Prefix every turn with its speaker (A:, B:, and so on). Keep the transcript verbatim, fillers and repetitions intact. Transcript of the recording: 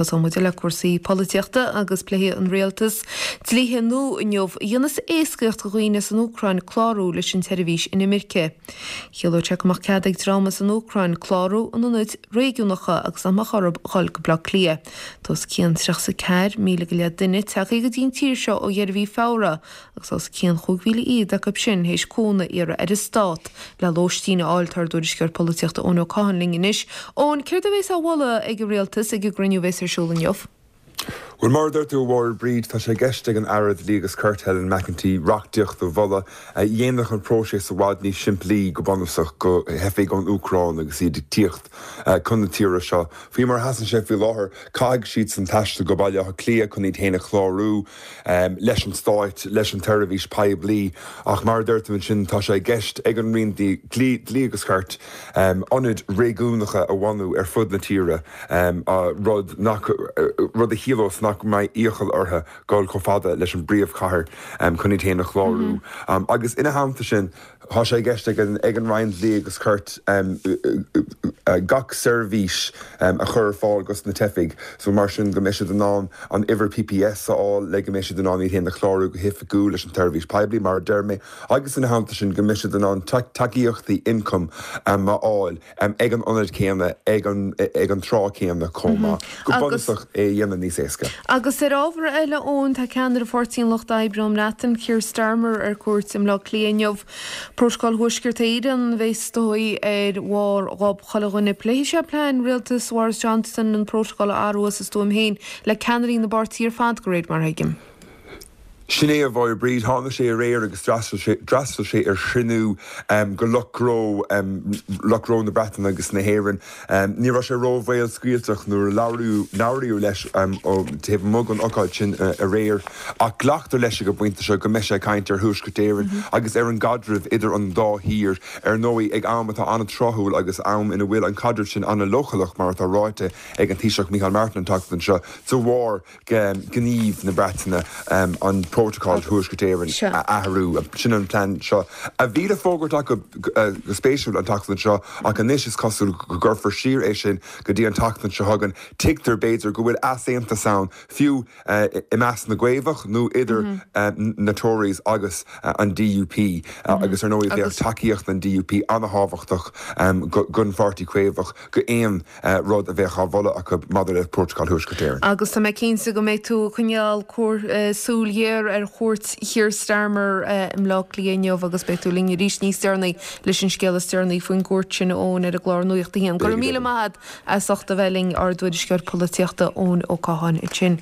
A: Tosóidh muid le cúrsaí polaitíochta agus pléifidh an rialtas dlíthe nua inniu a dhéanfas éascaíocht do dhaoine san Úcráin clárú leis an tseirbhís inimirce. Chiallódh sé go mbeadh cead ag dream as an Úcráin clárú in ionaid réigiúnacha agus nach mbeadh orthu dhul go Baile Átha Cliath. Tá os cionn tríocha a ceathair míle go leith duine tagtha go dtí an tír seo ó dheireadh mhí Feabhra agus os cionn chúig mhíle iad acu sin théis cúnamh a iarraidh ar an stát le lóistín a fháil tá ár dtuairisceoir polaitíochta Eoin Ó Catháin linn anois. Eoin, céard a bheas á mholadh ag an rialtas ag an gcruinniú a bheas ar siúl inniu?
B: Well mar a dúirt tú a Mháire Bríd tá sé i gceist ag an Aire Dlí agus Cirt Helen McEntee reachtaíocht a mholadh a dhéanfadh an próiseas i bhfad níos simplí go bunúsach do theifigh ón Úcráin agus iad ag tíocht chun na tíre seo. Faoi mar a sheasann sé faoi láthair caithfidh siad san taisteal go Baile Átha Cliath chun iad féin a chlárú leis an stát leis an tseirbhís poiblí ach mar a dúirt tú ansin tá sé i gceist ag an Roinn Dlí Dlí agus Cirt ionaid réigiúnacha a bhunú ar fud na tíre rud nach rud a chiallós nach mbeidh iachall orthu dul chomh fada leis an bpríomhchathair chun iad féin a chlárú. Agus ina theannta sin tá sé i gceist ag an ag an Roinn Dlí agus Cirt gach seirbhís a chur ar fáil dos na teifigh, so mar sin go mbeidh siad in ann an uimhir PPS a fháil le go mbeidh siad in ann iad féin a chlárú go hoifigiúil leis an tseirbhís poiblí mar a deir mé, agus ina theannta sin go mbeidh siad in ann tacaíochtaí ioncaim a fháil ag an ionad céanna ag an ag an tráth céanna chomh maith. Go bunúsach é a dhéanamh níos éasca.
A: Agus ar ábhar eile Eoin tá ceannaire Pháirtí an Lucht Oibre ón mBreatain, Keir Starmer ar cuairt i mBleá Cliath inniu. Prótocol Thuaisceart Éireann a bheas is dóigh ar bharr ghob chuile dhuine. Pléifidh sé plean rialtas Boris Johnson an prótocol a athrú as a stuaim féin le ceannairí na bpáirtí ar fad de réir mar a thuigim.
B: Sin é a Mháire Bríd tháinig sé aréir agus d'fhreastail sé ar chruinniú de lucht gnó lucht gnó na Breataine agus na hÉireann. Ní raibh sé ró-bhéalscaoilteach nuair a labhraíodh leis taobh amuigh den ócáid sin aréir ach glactar leis ag an bpointe seo go mbeidh sé ag caint ar Thuaisceart Éireann agus ar an gcaidreamh idir an dá thír ar ndóigh ag am atá an-tráthúil agus am ina bhfuil an caidreamh sin an-leochaileach mar atá ráite ag an Taoiseach Micheál Martin an tseachtain seo de bharr gníomh na Breataine an Prótocol Thuaisceart Éireann a athrú sin an plean seo a bhí le fógairt acu go spéisiúil an tseachtain seo ach anois is cosúil go gcuirfear siar é sin go dtí an tseachtain seo chugainn tuigtear b'fhéidir go bhfuil easaontas ann fiú i measc na gCaomhach nó idir na Tories agus an DUP agus ar ndóigh bheadh tacaíocht an DUP an-thábhachtach don Pháirtí Caomhach go aon rud a bheadh á mholadh acu maidir le Prótocol Thuaisceart Éireann.
A: Agus tá mé cinnte go mbeidh tú ag coinneáil súil ghéar ar chuairt Keir Starmer i mBleá Cliath inniu agus beidh tú linn arís níos deireanaí leis an scéal is deireanaí faoin gcuairt sin Eoin ar an gclár Nuacht a hAon. Go raibh míle maith agat as ucht a bheith linn ár dtuairisceoir polaitíochta Eoin Ó Catháin ansin.